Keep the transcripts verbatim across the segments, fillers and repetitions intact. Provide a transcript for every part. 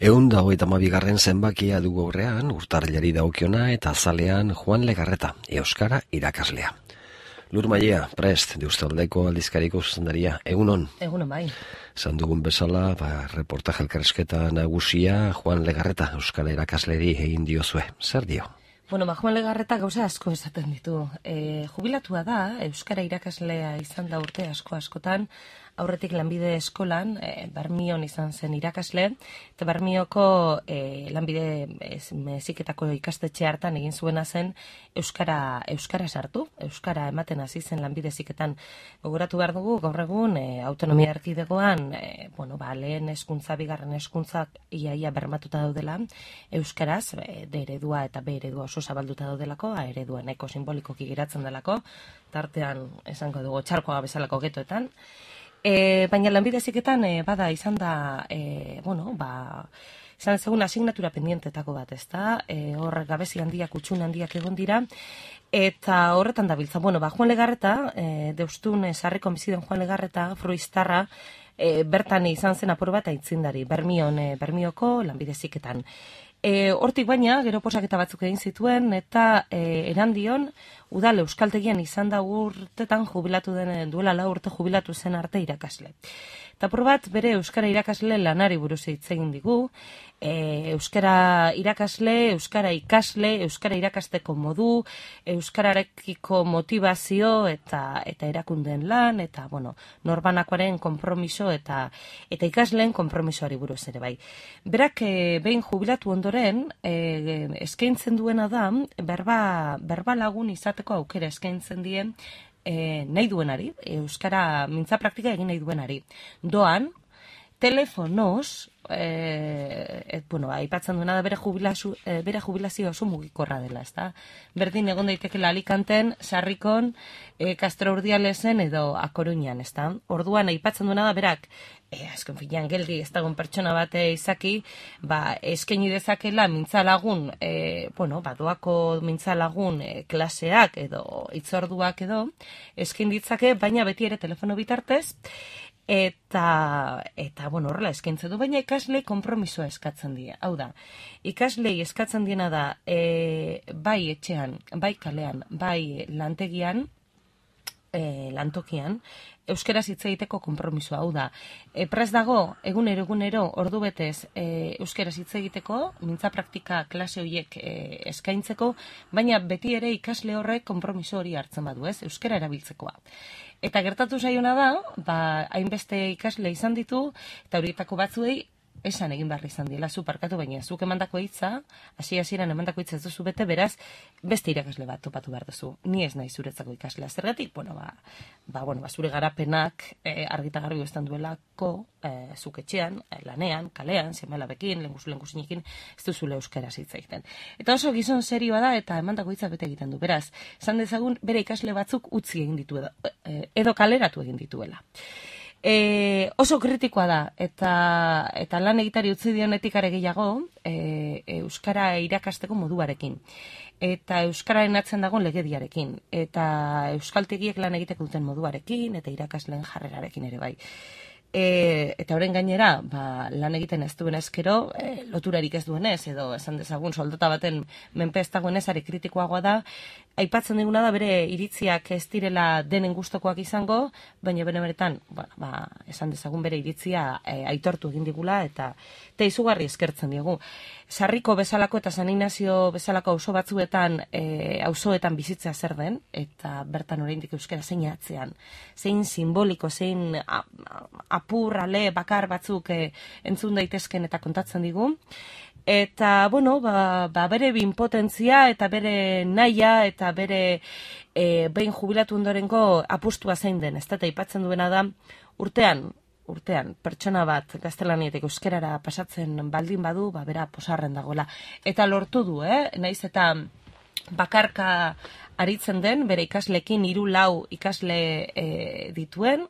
Ehun da hogeita hamabigarren zenbakia dugu aurrean, urtarrilari dagokiona eta azalean Juan Legarreta, euskara irakaslea. Lur Maia, prest, Deustaldeko aldizkariko zuzendaria, egunon? Egunon bai. Zan dugun bezala, ba, reportaje elkarrezketa nagusia Juan Legarreta, euskara irakasleri egin diozue. Zer dio? Bueno, ba, Juan Legarreta gauza asko esaten ditu. E, jubilatua da, euskara irakaslea izan da urte asko askotan, aurretik lanbide eskolan, e, Bermion izan zen irakasle, eta Bermioko e, lanbide meziketako ikastetxe hartan egin zuena zen euskara, euskara sartu, euskara ematen hasi zen lanbide ziketan. Gogoratu behar dugu, gaur egun, e, autonomia erkidegoan, e, bueno, ba, lehen hezkuntza, bigarren hezkuntzak iaia bermatuta daudela, euskaraz, e, D eredua eta B eredua oso zabalduta daudelako, A eredua nahiko simbolikoki geratzen delako, tartean esango dugu txarkoa bezalako getoetan. E, baina lanbide heziketan e, bada izan da, e, bueno, ba, izan ezagun asignatura pendientetako bat, ezta? E, hor gabezi handiak, utxun handiak egon dira, eta horretan da biltza. Bueno, ba, Juan Legarreta, e, deustun sarriko biziden Juan Legarreta, fruiztarra, e, bertan izan zen apur bat aitzindari, Bermion, e, Bermioko lanbide heziketan. E, hortik baina, gero posaketa batzuk egin zituen, eta e, erandion, udal euskaltegian izan da urtetan jubilatu den, duela lau urte jubilatu zen arte irakasle. Eta apur bat, bere euskara irakasle lanari buruz hitz egin digu, e, euskara irakasle, euskara ikasle, euskara irakasteko modu, euskararekiko motivazio eta eta erakundeen lan, eta bueno, norbanakoaren konpromiso eta eta ikasleen konpromisoari buruz ere bai. Berak e, behin jubilatu ondoren, e, eskaintzen duena da, berba, berba lagun izateko aukera eskaintzen dien, E, nahi duenari, euskara mintza praktika egin nahi duenari. Doan, telefonoz, e, et, bueno, aipatzen duena da bere, jubilazio, e, bere jubilazio oso mugikorra dela, ezta? Berdin egon daitekela Alicanten, Sarrikon, e, Castro Urdialesen edo A Coruñan, ezta? Orduan aipatzen duena da berak, e, azken finean geldi ez dagoen pertsona bate izaki, ba, eskaini dezakela mintzalagun, e, bueno, ba, doako mintzalagun e, klaseak edo hitzorduak edo, eskain ditzake, baina beti ere telefono bitartez, eta, eta bueno, horrela eskaintzen du, baina ikaslei konpromisoa eskatzen die. Hau da, ikaslei eskatzen diena da, e, bai etxean, bai kalean, bai lantegian, e, lantokian, euskaraz hitz egiteko konpromisoa. Hau da, e, prest dago, egunero egunero, ordu betez, e, euskaraz hitz egiteko, mintza praktika klase horiek e, eskaintzeko, baina beti ere ikasle horrek konpromiso hori hartzen badu, ez, euskara erabiltzekoa. Eta gertatu zaiona da, ba, hainbeste ikasle izan ditu, eta horietako batzuei esan egin behar izan diela, zu parkatu, baina zuk emandako hitza, hasi hasieran emandako hitza ez duzu bete, beraz, beste irakasle bat topatu behar duzu. Ni ez nahi zuretzako ikaslea. Zergatik, bueno, ba, ba, bueno, ba, zure garapenak e, argita garbi bestan duelako, e, zuk etxean, e, lanean, kalean, seme-alabekin, lengusu lengusinekin, ez duzule euskaraz hitz egiten. Eta oso gizon serioa da, eta emandako hitza bete egiten du. Beraz, esan dezagun, bere ikasle batzuk utzi egin ditu edo, e, edo kaleratu egin dituela. E, oso kritikoa da, eta, eta lan egitari utzi dionetik are gehiago, e, euskara irakasteko moduarekin. Eta euskararen atzen dagoen legediarekin. Eta euskaltegiek lan egiteko duten moduarekin, eta irakasleen jarrerarekin ere bai. E, eta horren gainera, ba, lan egiten ez duen ezkero, e, loturarik ez duenez, edo esan dezagun soldata baten menpe ez dagoenez, are kritikoagoa da, aipatzen diguna da bere iritziak ez direla denen gustokoak izango, baina bene beretan, bueno, ba, esan dezagun bere iritzia e, aitortu egin digula, eta, eta izugarri eskertzen diegu. Sarriko bezalako eta San Ignacio bezalako auzo batzuetan, e, auzoetan bizitzea zer den, eta bertan oraindik euskara zein atzean, zein simboliko, zein a, a, apur, ale, bakar batzuk e, entzun daitezken eta kontatzen digu. Eta, bueno, ba, ba bere binpotentzia eta bere naia eta bere e, behin jubilatu ondorengo apustua zein den, ez da, eta aipatzen duena da, urtean, urtean, pertsona bat gaztelaniatik euskerara pasatzen baldin badu, ba, bera posarren dagoela. Eta lortu du, eh? Naiz eta bakarka aritzen den, bere ikaslekin hiru lau ikasle e, dituen,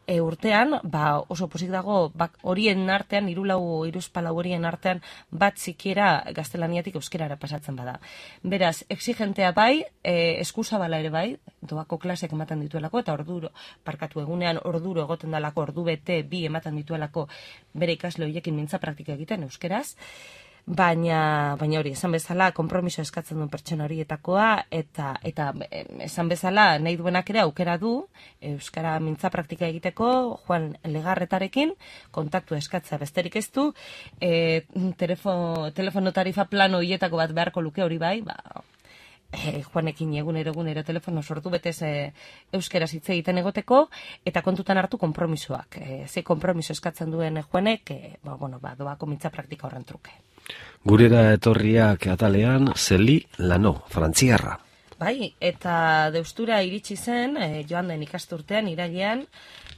e, urtean, ba, oso posik dago, bak, horien artean, irulau, iruzpalau horien artean, bat zikiera gaztelaniatik euskerara pasatzen bada. Beraz, exigentea bai, e, eskuzabala ere bai, doako klasek ematen dituelako, eta orduro, parkatu egunean orduro egoten dalako, ordu bete bi ematen dituelako bere ikasle horiekin mintza praktika egiten euskeraz, baina baina hori, esan bezala, konpromiso eskatzen duen pertsona horietakoa, eta eta esan bezala, nahi duenak ere aukera du, euskara mintza praktika egiteko, Juan Legarretarekin, kontaktu eskatzea besterik ez du, e, telefo, telefono tarifa plano hietako bat beharko luke hori bai, ba, E, Juanekin egunero egunero telefono sortu betez e, euskera hitz egiten egoteko, eta kontutan hartu konpromisoak. E, ze konpromiso eskatzen duen Juanek, e, ba, bueno, ba, doako mintza praktika horren truke. Gurera etorriak atalean, Zeli Lano, frantziarra. Bai, eta deustura iritsi zen, e, joan den ikasturtean, irailean,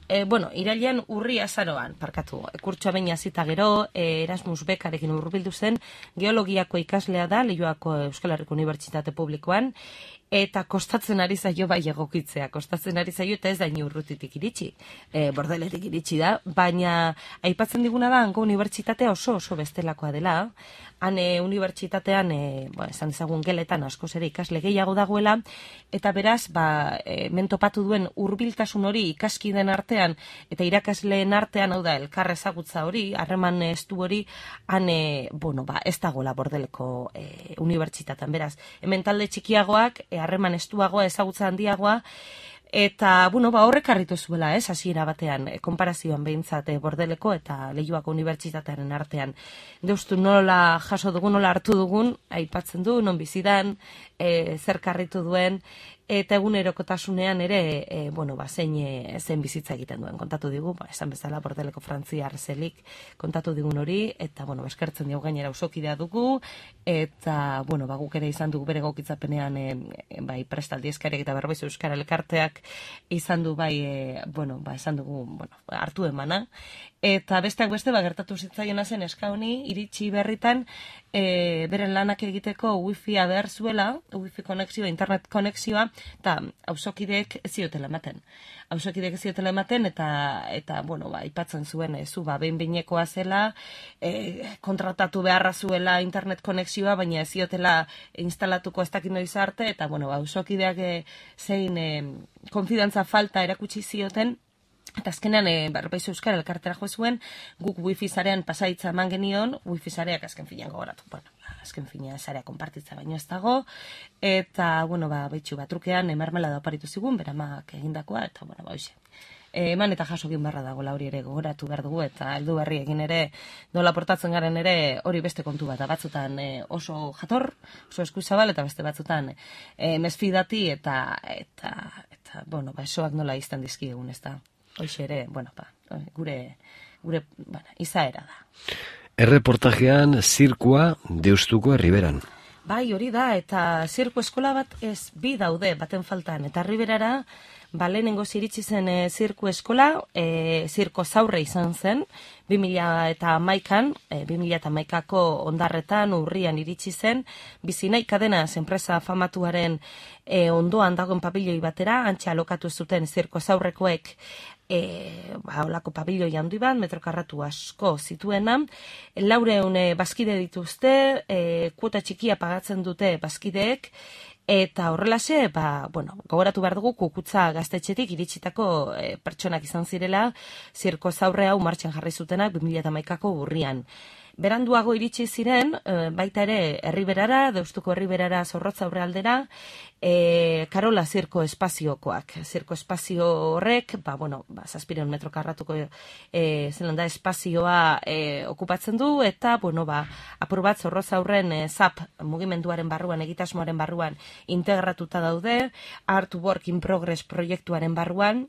E, bueno, irailean urri azaroan, parkatu, kurtsoa baina zita gero, e, Erasmus bekarekin hurbildu zen, geologiako ikaslea da, Leioako Euskal Herriko Unibertsitate Publikoan, eta kostatzen ari zaio bai egokitzea, kostatzen ari zaio eta ez da urrutitik iritsi, e, Bordeletik iritsi da, baina aipatzen diguna da, hango unibertsitatea oso oso bestelakoa dela, han e, unibertsitatean, e, ba, esan ezagun geletan askoz ere ikasle gehiago dagoela, eta beraz, ba, e, mentopatu duen hurbiltasun hori ikaskiden artean, eta irakasleen artean, hau da, elkar ezagutza hori, harreman estu hori, han, e, bueno, ba, ez dagoela Bordeleko e, unibertsitatean, beraz, hemen talde txikiagoak, harreman estuagoa, ezagutza handiagoa, eta, bueno, ba, horrek harritu zuela, ez, hasiera batean, e, konparazioan behintzat e, Bordeleko eta Leioako unibertsitatearen artean. Deustu nola jaso dugun, nola hartu dugun, aipatzen du, non bizidan, e, zer karritu duen, eta egunerokotasunean ere, e, bueno, ba, zein, e, zein bizitza egiten duen, kontatu digu, ba, esan bezala Bordeleko frantziar Zelik kontatu digun hori, eta, bueno, eskertzen digu gainera usokidea dugu, eta, bueno, ba, guk ere izan dugu bere gokitzapenean, e, e, bai, prestaldi eskariak eta berbaiz euskara elkarteak izan du, bai, e, bueno, ba, esan dugu, bueno, hartu emana, eta besteak beste, ba, gertatu zitzaiona zen eska honi, iritsi berritan, e, beren lanak egiteko wifi-a behar zuela, wifi konexioa, internet konexioa, eta auzokideek ez ziotela ematen. Auzokideek ez ziotela ematen, eta, eta bueno, ba, ipatzen zuen, e, zu, ba, behin-behinekoa zela, e, kontratatu beharra zuela internet konexioa, baina ez ziotela instalatuko ez dakit noiz arte, eta, bueno, ba, auzokideak e, zein e, konfidantza falta erakutsi zioten, eta azkenean, e, berbaiz euskara elkartera jo zuen, guk wifi zarean pasaitza eman genion, wifi zareak azken finean gogoratu, bueno, azken finean zarea konpartitza baino ez dago, eta, bueno, ba, behitxu bat trukean, emarmela da oparitu zigun, beramak egindakoa, eta, bueno, ba, hoxe. E, eman eta jaso egin beharra dago, hori ere gogoratu behar dugu, eta heldu berri egin ere, nola portatzen garen ere, hori beste kontu bat, batzutan e, oso jator, oso eskuzabal, eta beste batzutan e, mesfidati, eta, eta, eta, bueno, ba, esoak nola izten dizki egun, ez da. Hoxe ere, bueno, ba, gure, gure, bueno, izaera da. Erreportajean zirkua Deustuko Herriberan. Bai, hori da, eta zirku eskola bat ez bi daude baten faltan, eta Herriberara, ba, lehenengo ziritsi zen e, zirku eskola, e, zirko zaurre izan zen, bi mila eta hamaikan, e, bi mila eta hamaikako ondarretan urrian iritsi zen, Bizinai Kadenas enpresa famatuaren e, ondoan dagoen pabilioi batera, antxe alokatu zuten zirko zaurrekoek, E, ba, olako pabilioi handi bat, metrokarratu asko zituena, laureun e, bazkide dituzte, e, kuota txikia pagatzen dute bazkideek, eta horrelase, ba, bueno, gogoratu behar dugu Kukutza gaztetxetik iritsitako e, pertsonak izan zirela, zirko zaurre hau martxan jarri zutenak bi mila eta hamaikako urrian. Beranduago iritsi ziren, e, baita ere Herriberara, Deustuko Herriberara Zorrotza aurrealdera, e, Karola zirko espaziokoak. Zirko espazio horrek, ba, bueno, ba, zazpireun metro karratuko e, zelanda espazioa e, okupatzen du, eta, bueno, ba, apur bat Zorrotza aurren e, zap mugimenduaren barruan, egitasmoaren barruan integratuta daude, Art Work in Progress proiektuaren barruan,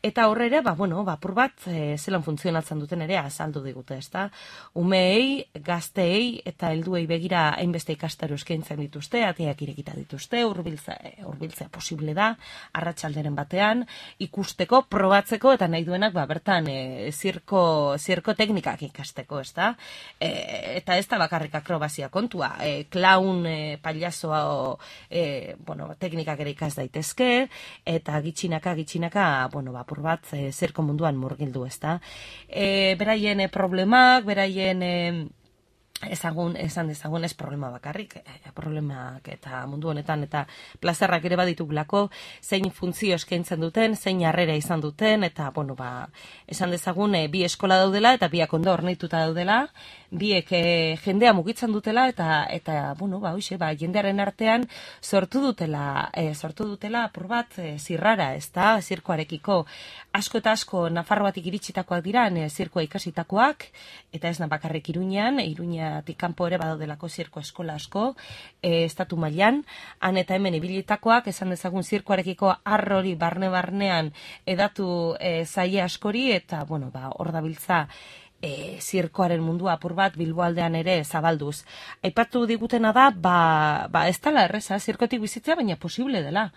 eta horre ere, ba, bueno, ba, apur bat e, zelan funtzionatzen duten ere azaldu digute, ezta? Umeei bereziki gazteei eta helduei begira hainbeste ikastaro eskaintzen dituzte, ateak irekita dituzte, hurbiltza hurbiltzea posible da, arratsalderen batean, ikusteko, probatzeko eta nahi duenak ba, bertan e, zirko, zirko teknikak ikasteko, ezta? E, eta ez da bakarrik akrobazia kontua, e, klaun, e, pailazoa, e, bueno, teknikak ere ikas daitezke, eta gitxinaka, gitxinaka, bueno, bapur bat, e, zirko munduan murgildu, ezta? E, beraien e, problemak, beraien e, ezagun, esan dezagun ez problema bakarrik, e, problemak eta mundu honetan eta plazerrak ere baditugulako, zein funtzio eskaintzen duten, zein harrera izan duten, eta, bueno, ba, esan dezagun e, bi eskola daudela eta biak ondo hornituta daudela, biek e, jendea mugitzen dutela eta eta bueno, ba, hoxe, ba, jendearen artean sortu dutela, e, sortu dutela apur bat e, zirrara, ezta, zirkoarekiko asko eta asko Nafarroatik iritsitakoak dira, e, zirkoa ikasitakoak, eta ez bakarrik Iruñean, Iruñatik kanpo ere badaudelako zirko eskola asko, e, estatu mailan, han eta hemen ibilitakoak, esan dezagun zirkoarekiko arrori barne-barnean edatu e, zaie askori, eta, bueno, ba, hor dabiltza E, zirkoaren mundua apur bat Bilboaldean ere zabalduz. Aipatu digutena da, ba, ba ez dela erreza, zirkotik bizitzea, baina posible dela.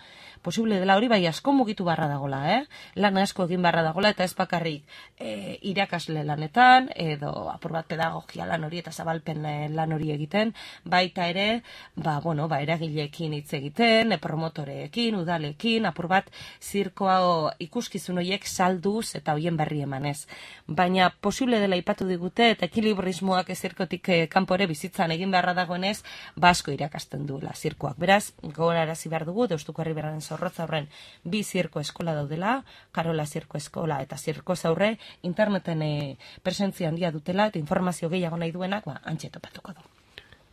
Posible dela hori, bai asko mugitu barra dagola, eh? Lan asko egin barra dagola, eta ez bakarrik e, irakasle lanetan, edo apur bat pedagogia lan hori eta zabalpen lan hori egiten, baita ere, ba, bueno, ba, eragileekin hitz egiten, e, promotoreekin, udalekin, apur bat zirkoa ikuskizun horiek salduz eta hoien berri emanez. Baina posible dela ipatu digute, eta ekilibrismoak zirkotik eh, kanpore bizitzan egin beharra dagoenez, basko irakasten duela zirkoak. Beraz, gogorarazi behar dugu, Deustuko Herriberaren Zorrotza horren bi zirko eskola daudela, Karola zirko eskola eta zirko zaurre, interneten eh, presentzia handia dutela, eta informazio gehiago nahi duenak, ba, antxe topatuko du.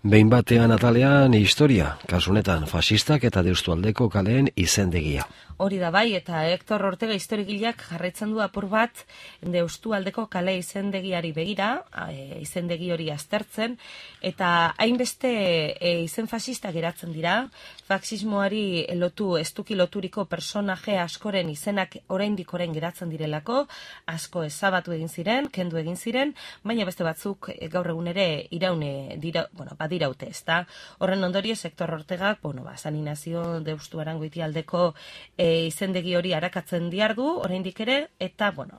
Behin batean atalean historia, kasunetan fasistak eta Deustualdeko kaleen izendegia. Hori da bai, eta Hector Ortega historigileak jarraitzen du apur bat Deustualdeko kale izendegiari begira, e, izendegi hori aztertzen, eta hainbeste e, izen fascista geratzen dira, faxismoari lotu, estuki loturiko personaje askoren izenak oraindik orain geratzen direlako, asko ezabatu egin ziren, kendu egin ziren, baina beste batzuk e, gaur egun ere iraune dira, bueno, badiraute, ezta? Horren ondorio, Hector Ortegak, bueno, ba, San Inazio Deustu Arangoitialdeko E, izendegi hori arakatzen diardu, oraindik ere, eta, bueno,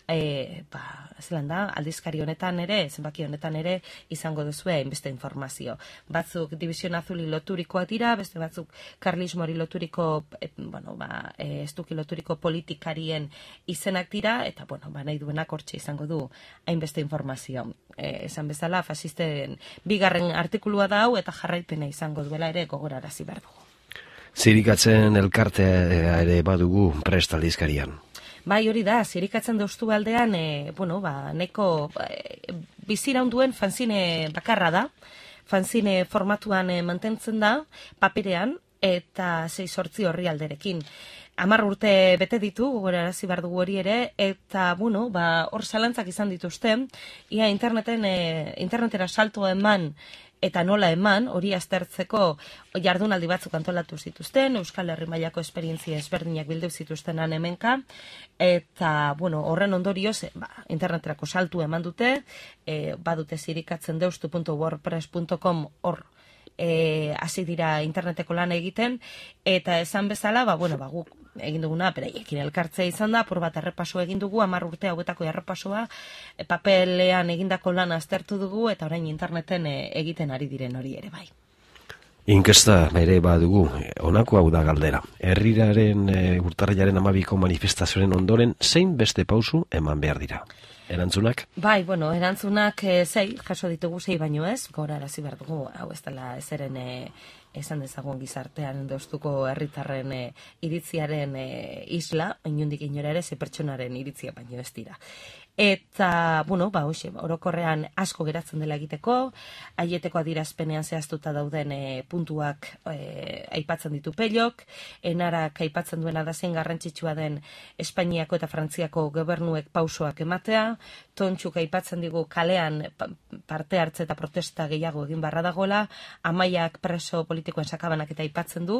e, ba, zelan da, aldizkari honetan ere, zenbaki honetan ere, izango duzue hainbeste informazio. Batzuk División Azuli loturikoak dira, beste batzuk karlismori loturiko, e, bueno, ba, e, estuki loturiko politikarien izenak dira, eta, bueno, ba, nahi duenak hortxe izango du hainbeste informazio. E, esan bezala, fasisten bigarren artikulua da hau, eta jarraipena izango duela ere gogorarazi behar dugu. Zirikatzen elkartea ere badugu prest aldizkarian. Bai, hori da, zirikatzen Deustualdean, e, bueno, ba, neko e, biziraunduen fanzine bakarra da, fanzine formatuan e, mantentzen da, paperean, eta sei sortzi horri alderekin. Hamar urte bete ditu, gogorarazi behar dugu hori ere, eta, bueno, ba, hor zalantzak izan dituzte, ia interneten, e, internetera salto eman, eta nola eman, hori aztertzeko jardunaldi batzuk antolatu zituzten, Euskal Herri mailako esperientzia ezberdinak bildu zituzten hemenka, eta, bueno, horren ondorioz, ba, interneterako saltu eman dute, e, badute zirikatzen deustu puntu wordpress puntu com hor, e, hasi dira interneteko lan egiten, eta esan bezala, ba, bueno, ba, guk egin duguna, beraiekin elkartzea izan da, apur bat errepaso egin dugu, hamar urte hauetako errepasoa, e, papelean egindako lan aztertu dugu, eta orain interneten e, egiten ari diren hori ere bai. Inkesta ere badugu, honako hau da galdera. Herriraren e, urtarrilaren amabiko manifestazioaren ondoren, zein beste pausu eman behar dira? Erantzunak? Bai, bueno, erantzunak e, zei, jaso ditugu zei baino ez, gogorarazi behar dugu, hau ez dela ezeren e, esan dezagun gizartean Deustuko herritarren e, iritziaren e, isla, inundik inora ere, ze pertsonaren iritzia baino ez dira. Eta, bueno, ba, hoxe, orokorrean asko geratzen dela egiteko, aieteko adierazpenean zehaztuta dauden e, puntuak e, aipatzen ditu Pellok, enarak aipatzen duena da zein garrantzitsua den Espainiako eta Frantziako gobernuek pausoak ematea, Tontxuk aipatzen digu kalean parte hartze eta protesta gehiago egin barra dagoela, Amaiak preso politikoen sakabanak eta aipatzen du,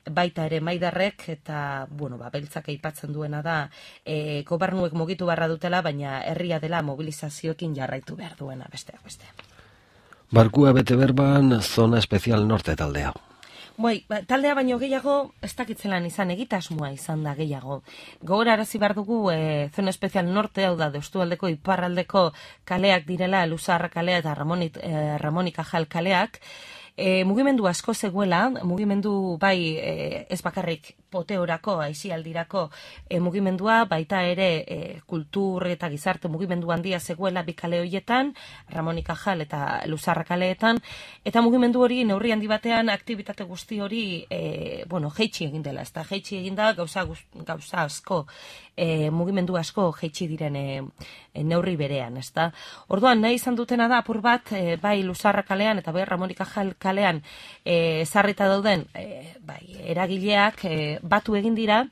baita ere Maidarrek eta, bueno, ba, Beltzak aipatzen duena da e, gobernuek mugitu barra dutela, baina herria dela mobilizazioekin jarraitu behar duena besteak beste. Barkua bete berban, Zona Espezial Norte taldea. Bai, ba, taldea baino gehiago, ez dakitzelan izan egitasmoa izan da gehiago. Gogorarazi behar dugu, e, Zona Espezial Norte, hau da, Deustualdeko iparraldeko kaleak direla, Luzarra kalea eta Ramonit, e, Ramonika Jal kaleak, E, mugimendu asko zegoela, mugimendu bai e, ez bakarrik poteorako, aisialdirako e, mugimendua, baita ere e, kultur eta gizarte mugimendu handia zegoela bi kale horietan, Ramonika Jal eta Luzarra kaleetan, eta mugimendu hori neurri handi batean aktibitate guzti hori e, bueno, jeitsi egin dela, ez da, jeitsi egin da gauza, gauza asko, e, mugimendu asko jeitsi diren e, e, neurri berean, ez da. Orduan, nahi izan dutena da, apur bat, e, bai Luzarra kalean eta bai Ramonika Jal kalean ezarrita e, dauden e, bai, eragileak e, batu egin dira,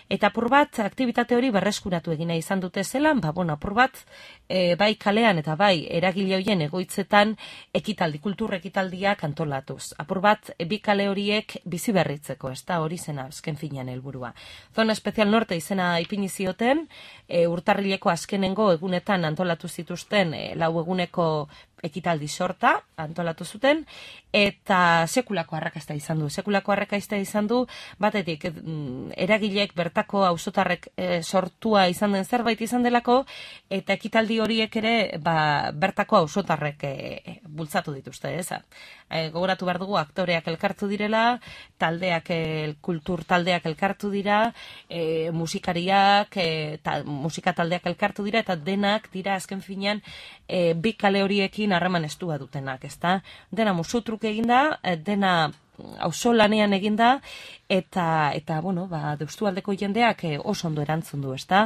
eta apur bat aktibitate hori berreskuratu egina izan dute zelan, ba, bueno, apur bat e, bai kalean eta bai eragile horien egoitzetan ekitaldi, kultur ekitaldiak antolatuz. Apur bat e, bi kale horiek bizi berritzeko, ez da hori zena azken finean helburua. Zona Espezial Norte izena ipini zioten, e, urtarrileko azkenengo egunetan antolatu zituzten e, lau eguneko ekitaldi sorta antolatu zuten, eta sekulako arrakasta izan du. Sekulako arrakasta izan du, batetik eragileek bertako auzotarrek e, sortua izan den zerbait izan delako, eta ekitaldi horiek ere ba, bertako auzotarrek e, bultzatu dituzte, ez? E, gogoratu behar dugu aktoreak elkartu direla, taldeak, el, kultur taldeak elkartu dira, e, musikariak, e, ta, musika taldeak elkartu dira, eta denak dira azken finean e, bi kale horiekin harreman estua dutenak, ezta? Dena musutruk eginda, dena auzolanean eginda, eta, eta bueno, ba, Deustualdeko jendeak e, oso ondo erantzun du, ezta?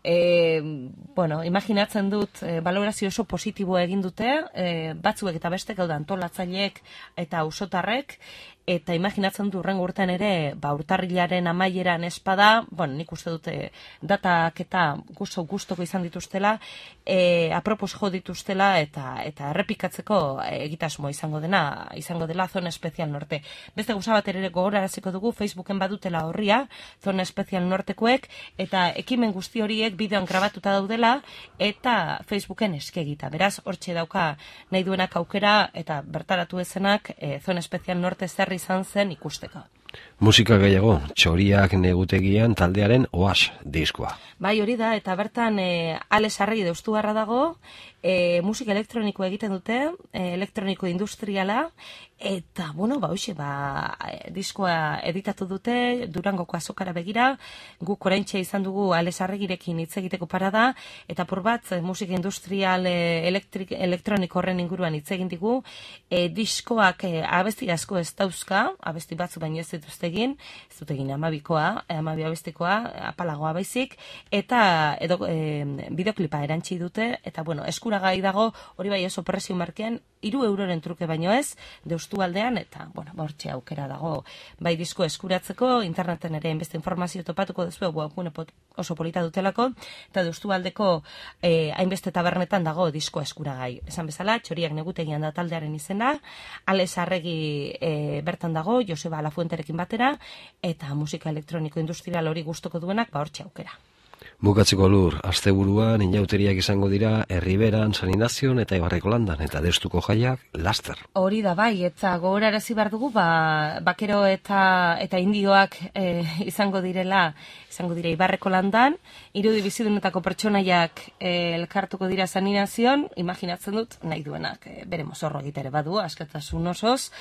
E, bueno, imaginatzen dut, e, balorazio oso positiboa egin dute, e, batzuek eta bestek, hau da, antolatzaileek eta auzotarrek, eta imaginatzen du urrengo urtean ere, ba, urtarrilaren amaieran espada, bueno, nik uste dute datak eta gusto gustoko izan dituztela, e, apropos jo dituztela, eta eta errepikatzeko egitasmoa izango dena, izango dela Zona Espezial Norte. Beste gauza bat ere gogoraraziko dugu, Facebooken badutela horria, Zona Espezial Nortekoek, eta ekimen guzti horiek bideoan grabatuta daudela, eta Facebooken eskegita. Beraz, hortxe dauka nahi duenak aukera, eta bertaratu ezenak, e, Zona Espezial Norte zer izan zen ikusteko. Musika gehiago, Txoriak negutegian taldearen Oas diskoa. Bai, hori da, eta bertan e, Alex Arregi Deustuarra dago, e, musika elektroniko egiten dute, e, elektroniko industriala, eta, bueno, ba, hoxe, ba, e, diskoa editatu dute, Durangoko azokara begira, guk oraintxe izan dugu Alex Arregirekin hitz egiteko parada, eta por bat, e, musika industrial e, elektrik, elektroniko horren inguruan hitz egin digu, e, diskoak e, abesti asko ez dauzka, abesti batzu baino ez dituzte egin, ez dut egin amabikoa, amabi abestikoa, apalagoa baizik, eta edo e, bideoklipa erantzi dute, eta bueno, eskuragai dago, hori bai oso prezio markean, hiru euroren truke baino ez, Deustualdean, eta, bueno, ba, hortxe aukera dago, bai disko eskuratzeko, interneten ere beste informazio topatuko duzu, webgune oso polita dutelako, eta Deustualdeko eh, hainbeste tabernetan dago disko eskuragai. Esan bezala, Txoriak negutegian da taldearen izena, Alex Arregi eh, bertan dago, Joseba Lafuenterekin batera, eta musika elektroniko industrial hori gustoko duenak, ba hortxe aukera. Bukatzeko Lur, asteburuan inauteriak izango dira Erriberan, San Inazion eta Ibarreko Landan, eta Deustuko jaiak laster. Hori da bai, eta gogorarazi behar dugu, ba, bakero eta eta indioak e, izango direla, izango dira Ibarreko Landan, irudi bizidunetako pertsonaiak e, elkartuko dira San Inazion, imaginatzen dut, nahi duenak, e, bere mozorro egitere badu, askatasun osoz,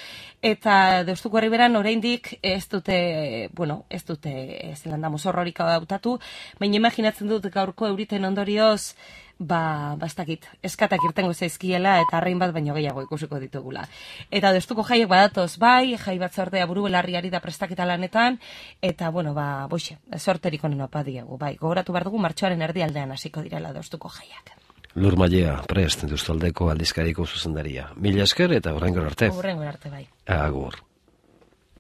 eta Deustuko Erriberan oraindik ez dute, bueno, ez dute zelanda mozorrorik hautatu, baina imaginatzen dut gaurko euriten ondorioz, ba, bastakit, eskatak irtengo zaizkiela eta arrain bat baino gehiago ikusiko ditugula. Eta Deustuko jaiek badatoz bai, jai batzordea buru belarriari da prestaketa lanetan, eta, bueno, ba, boixe, sorterik honen opa diegu, bai, gogoratu behar dugu martxoaren erdialdean hasiko direla Deustuko jaiak. Lur Mailea, prest, Deustualdeko aldizkariko zuzendaria. Mila esker eta horrengo arte. Horrengo arte, bai. Agur.